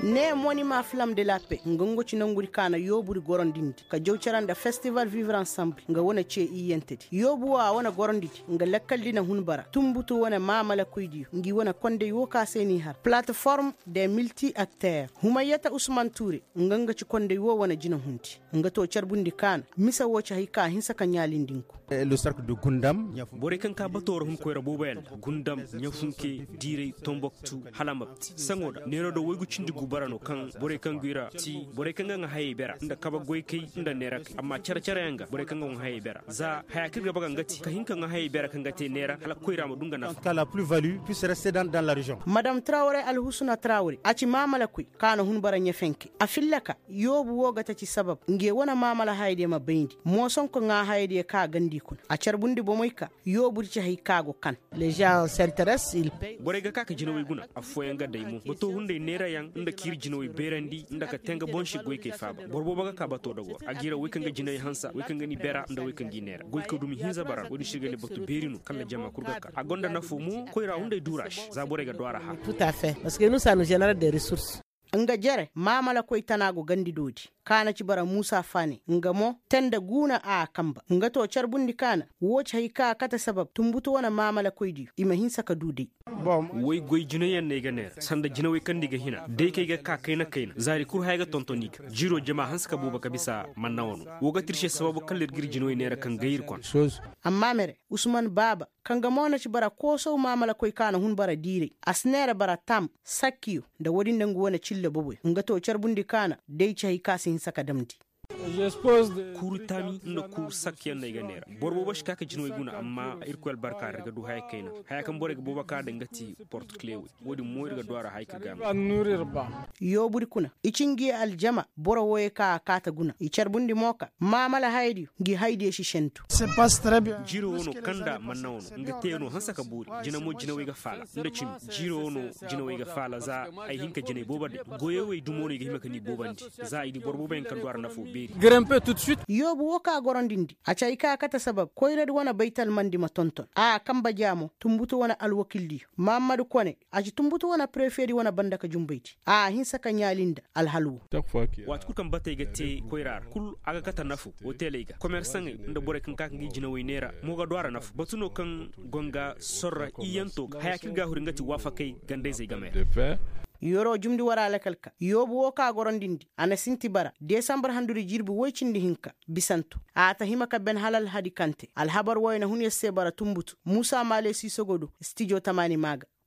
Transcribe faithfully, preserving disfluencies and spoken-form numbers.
Ne monima flam de la pe nga ngo ci nanguri kaana yooburi gorondindi ka jaw cara nda festival vivre ensemble nga wane ce iyyantedi yoobu wo a wane gorondidi nga lakkaldi na hun bara tumbutu wane maamalakoydiyo ngi wane kondey wo ka se n'i har plateforme de multi acteurs humayyata usman tuure nga nga ci kondey wo wane jina hundi nga to carbundi kaana mise wo ci hari ka hinsa ka ɲaalindinku. Borey kaŋ ka bato ra hun koyra boobo yaŋ ra gundam ɲafunke diiray tomboktu hala mabti saŋo da neero da waygu cindi gu bara no kaŋ borey kaŋ go i ra ti borey kaŋ ga ŋwa hayey bera nda kabe goykey nda neerakey amma care-care yaŋ ga borey kaŋ ga ŋwa hayey bera za haya kaŋ iri ga ba ga nga ti ka hin ka ŋwa hayey bera kaŋ ga te neera hala koyra ma du nga nafa. Madam trawre alhusuna trawre a ci maamalakoy kaŋ a na hun bara ɲafenke a fillaka yoobu wo ga taci sabab nge wane maamala hayadiyo ma bayndi moosonko ŋwa hayadiyo kaŋ a gandi kuna a carbundi bomey ka yoobu di ci hari kaŋ a go kan. Borey ga ka ka jinawey guna affooyaŋ ga day mo bato hunday neerayaŋ nda ka iri jinawey beerandi nda ka te nga boŋ se goykey faaba boro boobo ga ka bato dago a g'i ra wey kaŋ ga jinawey hansa wey kaŋ ga ni beera nda wey kaŋ g'i neera goykey dumi hinza bara wo-din se iri ga ne bato beeri no kala jama kulu ga ka a gonda nafo mo koyra hunday duura se za borey ga du a ra hã. Nga jere maamalakoy tana go gandi doodi kaana ci bara muusa faane nga mo te nda guuna a kamba nga to carbundi kaana wo ci hari kaŋ a kate sabab tumbutu wane maamalakoydiyo i ma hinsa ka du day. Way goy jinayaŋ no ay ga neera sanda jinawey kaŋ no i ga hina day kaŋ ay ga ka kayna-kayna zaari kulu haya ga tonton i ga jiiro jama hanse ka boobo ka bisa manna wano wo ga te iri se sababu kala iri ga iri jinawey neera kaŋ gay iri kona. Amma mere usman baaba kaŋ ga mo na ci bara koosaw maamalakoy kaŋ a na hun bara diiray a si neera bara tam sakkiyo nda wo-din nda nga wane cilla boboyo nga to carbundi kaana day ci hari kaŋ a si hinsa ka damndi. Kuuru taami nda kuuru sakku yaŋ no ay ga neera boro boobo si ka ka jinawey guna amma irkoy albarka ra iri ga du haya kayna haya kaŋ borey ga boobo ka daŋ ga ti porto clewey wo-din mo iri ga du a ra haya kaŋ ga no. Yooburi kuna i ci ngi aljama boro wooyo kaŋ a kaata guna i carbundi mo ka maamala hayadiyo ngi hayadiyo si sentu. Jiiro wo no kaŋ nda manna wo no nga teeyaŋo hanse ka boori jina mo jinawey ga faala nda cimi jiiro wo no jinawey ga faala za ay hin ka jinay boobo day goyey wey dumo no i ga hima ka ni boobandi za i di boro boobo yaŋ kaŋ du a ra nafo beeri. Yoobu wo kaŋ a gorondindi a ci hari kaŋ a kate sabab koyradi wane baytalmandi ma tonton a kamba jaamo tumbutu wane alwakildiyo mahammadu kone a ci tumbutu wane prefeedi wane banda ka jumbaydi a hinsa ka ɲaali nda alhal wo. Waati kulu kaŋ batey ga te koyra ra kulu a ga kate nafo hoteley ga komersaŋey nda borey kaŋ ga ka ga i jinawey neera mo ga du a ra nafo batu no kaŋ go nga sorra iyyanto ga haya kaŋ iri ga a huri nga ti waafakey gandayzey game ra. Yoro jumndi wara lakal ka yoobu wo kaŋ a gorondindi a na sinti bara desambar handuri jirbi woy cindi hinka bisanto a ta hima ka ben hala alhadi kante alhabar woy na hun yer se bara tumbutu muusa maale siisogo do stijo tamaani maa ga.